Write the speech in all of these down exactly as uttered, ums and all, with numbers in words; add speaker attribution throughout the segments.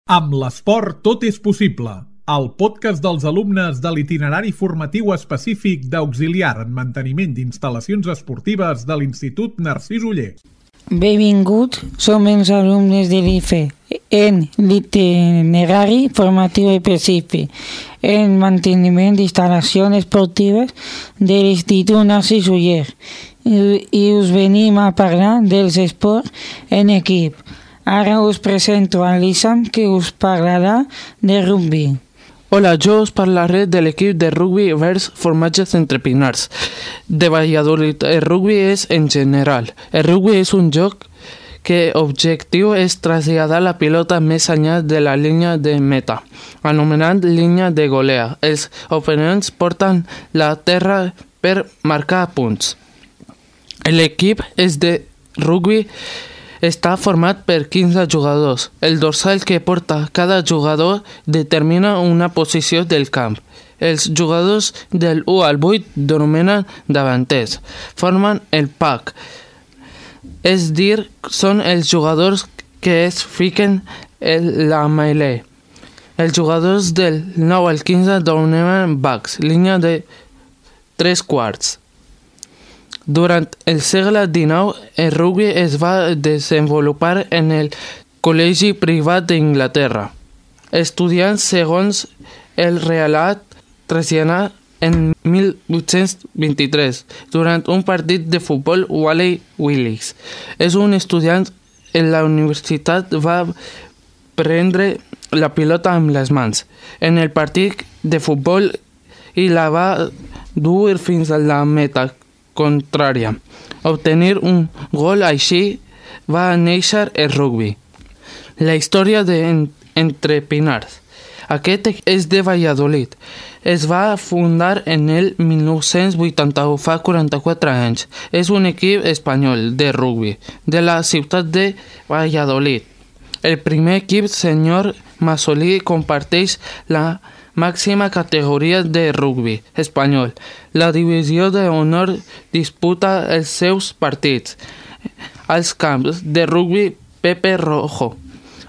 Speaker 1: Amb l'esport tot és possible. El podcast dels alumnes de l'itinerari formatiu específic d'auxiliar en manteniment d'instal·lacions esportives de l'Institut Narcís Oller.
Speaker 2: Benvinguts, som els alumnes de l'I F E en l'itinerari formatiu específic en manteniment d'instal·lacions esportives de l'Institut Narcís Oller i, i us venim a parlar dels esports en equip. Ara us presento a l'Issam, que us parlarà de rugby.
Speaker 3: Hola, yo os parlaré del equipo de rugby vers Formatges Entre Pinars de Valladolid. El rugby es en general. El rugby es un joc que objectiu és traslladar la pilota més enllà de la línia de meta, anomenant línia de golea. Els oponents porten la terra per marcar punts. L'equip és de rugby està format per quinze jugadors. El dorsal que porta cada jugador determina una posició del camp. Els jugadors del u al vuit denominen davanters. Formen el pack. És dir, són els jugadors que es fiquen en la melee. Els jugadors del nou al quinze denominen backs, línia de tres quarts. Durant el segle dinou, el rugby es va desenvolupar en el Col·legi Privat d'Inglaterra. Estudiants segons el relat traslladar en mil vuit-cents vint-i-tres durant un partit de futbol Wally Willis. És un estudiant en la universitat va prendre la pilota amb les mans en el partit de futbol i la va dur fins a la meta contrària. Obtenir un gol així va néixer el rugby. La història de Entre Pinars. Aquest és de Valladolid. Es va fundar en el mil nou-cents vuitanta-u, fa quaranta-quatre anys. És un equip espanyol de rugby de la ciutat de Valladolid. El primer equip senyor Masolí comparteix la màxima categoria de rugby espanyol. La divisió d'honor disputa els seus partits als camps de rugby Pepe Rojo.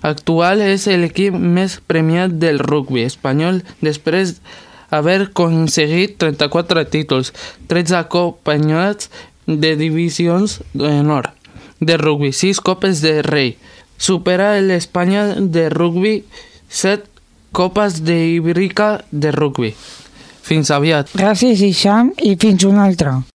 Speaker 3: Actual és l'equip més premiat del rugby espanyol després d'haver aconseguit trenta-quatre títols, tretze campionats de divisions d'honor de rugby, sis copes de rei. Supera l'Espanya de rugby, set copes d'Ibèrica de rugby. Fins aviat.
Speaker 2: Gràcies, Issam, i fins una altra.